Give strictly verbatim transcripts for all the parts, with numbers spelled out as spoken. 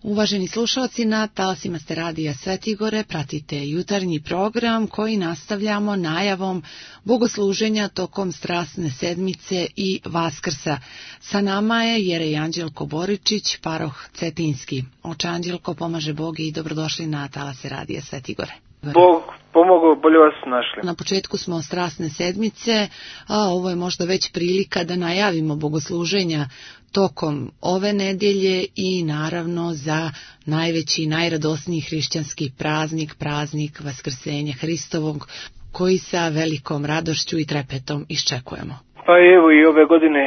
Uvaženi slušalci, na talasima ste radija Svetigore, pratite jutarnji program koji nastavljamo najavom bogosluženja tokom strasne sedmice i Vaskrsa. Sa nama je Jerej Anđelko Boričić, paroh Cetinski. Oče Anđelko, pomaže Bog i dobrodošli na talase radija Svetigore. Bog pomogao, bolje vas našli. Na početku smo strasne sedmice, a ovo je možda već prilika da najavimo bogosluženja tokom ove nedjelje i naravno za najveći i najradosniji hrišćanski praznik, praznik Vaskrsenja Hristovog, koji sa velikom radošću i trepetom iščekujemo. Pa evo i ove godine,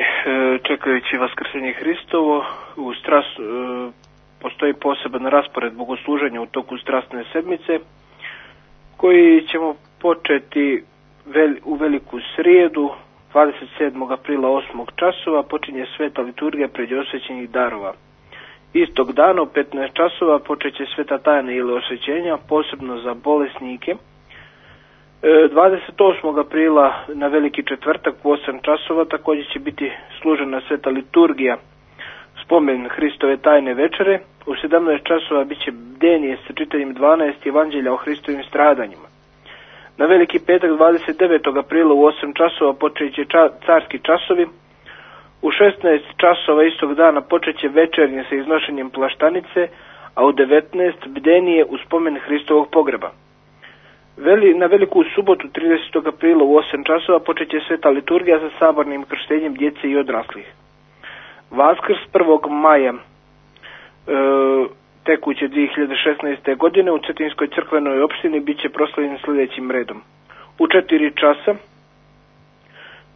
čekajući Vaskrsenje Hristovo, u stras, postoji poseban raspored bogosluženja u toku strasne sedmice, koji ćemo početi u veliku srijedu, dvadeset sedmog aprila osmog časova, počinje sveta liturgija pređosvećenih darova. Istog dana u petnaest časova počeće sveta tajna ili osvećenja, posebno za bolesnike. dvadeset osmog aprila na veliki četvrtak u osam časova također će biti služena sveta liturgija, spomen Hristove tajne večere. U sedamnaest časova bit će bdenije sa čitanjem dvanaest evanđelja o Hristovim stradanjima. Na veliki petak dvadeset devetog aprila u osam časova počet će ča, carski časovi. U šesnaest časova istog dana počet će večernje sa iznošenjem plaštanice, a u devetnaest bdenije u spomen Hristovog pogreba. Veli, na veliku subotu tridesetog aprila u osam časova počet će sveta liturgija sa sabornim krštenjem djece i odraslih. Vaskrs prvog maja e, tekuće dvije hiljade šesnaeste. godine u Cetinskoj crkvenoj opštini bit će proslavljen sljedećim redom. U četiri časa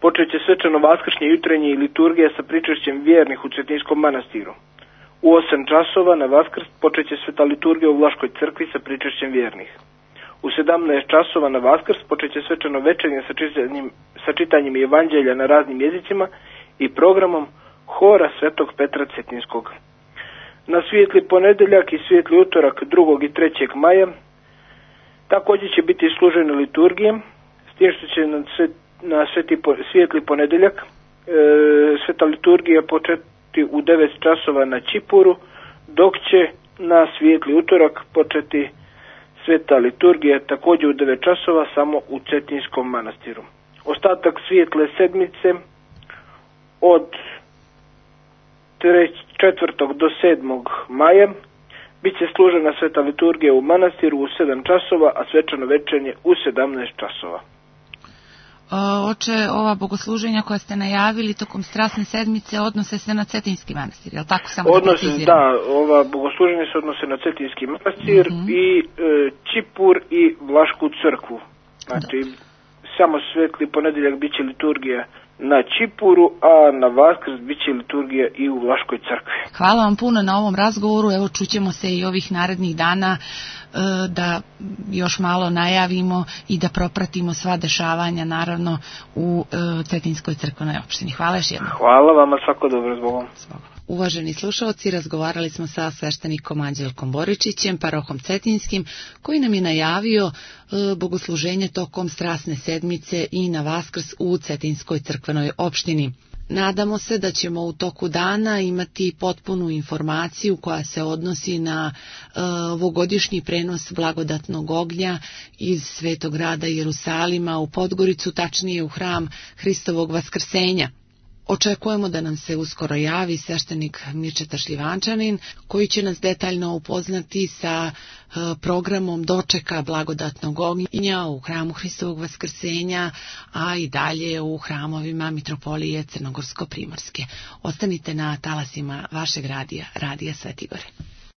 počet će svečano vaskršnje jutrenje i liturgija sa pričešćem vjernih u Cetinskom manastiru. U osam časova na Vaskrs počet će sveta liturgija u Vlaškoj crkvi sa pričešćem vjernih. U sedamnaest časova na Vaskrs počet će svečano večernje sa čitanjem, sa čitanjem evanđelja na raznim jezicima i programom Hora Svetog Petra Cetinskog. Na svijetli ponedeljak i svijetli utorak drugog i trećeg maja također će biti služene liturgije, s tim što će na, svet, na sveti, svijetli ponedeljak e, sveta liturgija početi u devet časova na Čipuru, dok će na svijetli utorak početi sveta liturgija također u devet časova samo u Cetinskom manastiru. Ostatak svijetle sedmice od četvrtog do sedmog maja bit će služena sveta liturgija u manastiru u sedam časova, a svečano večernje u sedamnaest časova. Oče, ova bogosluženja koja ste najavili tokom strasne sedmice odnose se na Cetinski manastir, je li tako? Samo odnose, da, da, ova bogosluženja se odnose na Cetinski manastir mm-hmm. i e, Čipur i Vlašku crkvu. Znači, da. Samo svetli ponedeljak bit će liturgija na Čipuru, a na Vaskrs bit će liturgija i u Vlaškoj crkvi. Hvala vam puno na ovom razgovoru. Evo, čućemo se i ovih narednih dana da još malo najavimo i da propratimo sva dešavanja, naravno, u Cetinskoj crkvenoj opštini. Hvala još jednom. Hvala vama, svako dobro, zbogom. Uvaženi slušalci, razgovarali smo sa sveštenikom Anđelkom Boričićem, parohom Cetinskim, koji nam je najavio bogosluženje tokom strasne sedmice i na Vaskrs u Cetinskoj crkvenoj opštini. Nadamo se da ćemo u toku dana imati potpunu informaciju koja se odnosi na uh, ovogodišnji prenos blagodatnog ognja iz Svetog grada Jerusalima u Podgoricu, tačnije u hram Hristovog Vaskrsenja. Očekujemo da nam se uskoro javi sveštenik Mirčeta Šljivančanin, koji će nas detaljno upoznati sa programom dočeka blagodatnog ognja u hramu Hristovog Vaskrsenja, a i dalje u hramovima Mitropolije Crnogorsko-Primorske. Ostanite na talasima vašeg radija, Radija Svetigore.